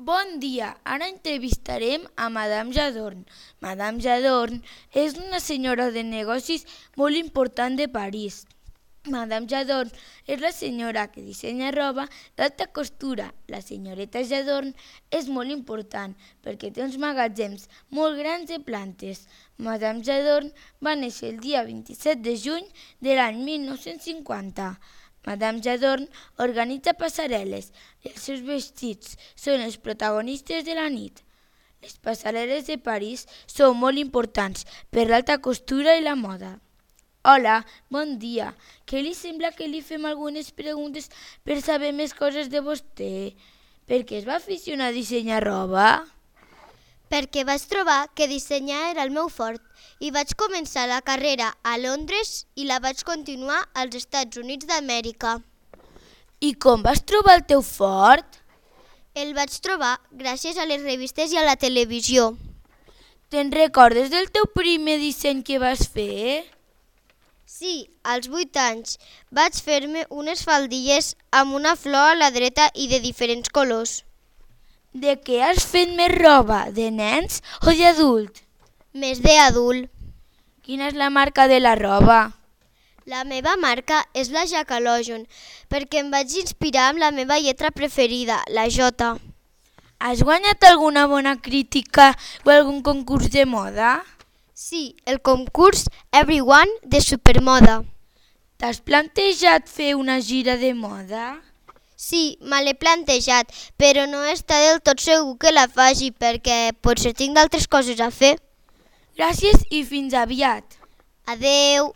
Bon dia, ara entrevistarem a Madame Jadorn. Madame Jadorn és una senyora de negocis molt important de París. Madame Jadorn és la senyora que dissenya roba d'alta costura. La senyoreta Jadorn és molt important perquè té uns magatzems molt grans de plantes. Madame Jadorn va néixer el dia 27 de juny de l'any 1950. Madame Jadorn organitza passarel·les i els seus vestits són els protagonistes de la nit. Les passarel·les de París són molt importants per l'alta costura i la moda. Hola, bon dia. Què li sembla que li fem algunes preguntes per saber més coses de vostè? Per què es va aficionar a dissenyar roba? Perquè vaig trobar que dissenyar era el meu fort i vaig començar la carrera a Londres i la vaig continuar als Estats Units d'Amèrica. I com vas trobar el teu fort? El vaig trobar gràcies a les revistes i a la televisió. Te'n recordes del teu primer disseny que vas fer? Sí, als 8 anys vaig fer-me unes faldilles amb una flor a la dreta i de diferents colors. De què has fet més roba? De nens o d'adult? Més d'adult. Quina és la marca de la roba? La meva marca és la Jacalojon, perquè em vaig inspirar amb la meva lletra preferida, la J. Has guanyat alguna bona crítica o algun concurs de moda? Sí, el concurs Everyone de Supermoda. T'has plantejat fer una gira de moda? Sí, me l'he plantejat, però no està del tot segur que la faci perquè potser tinc d'altres coses a fer. Gràcies i fins aviat. Adeu.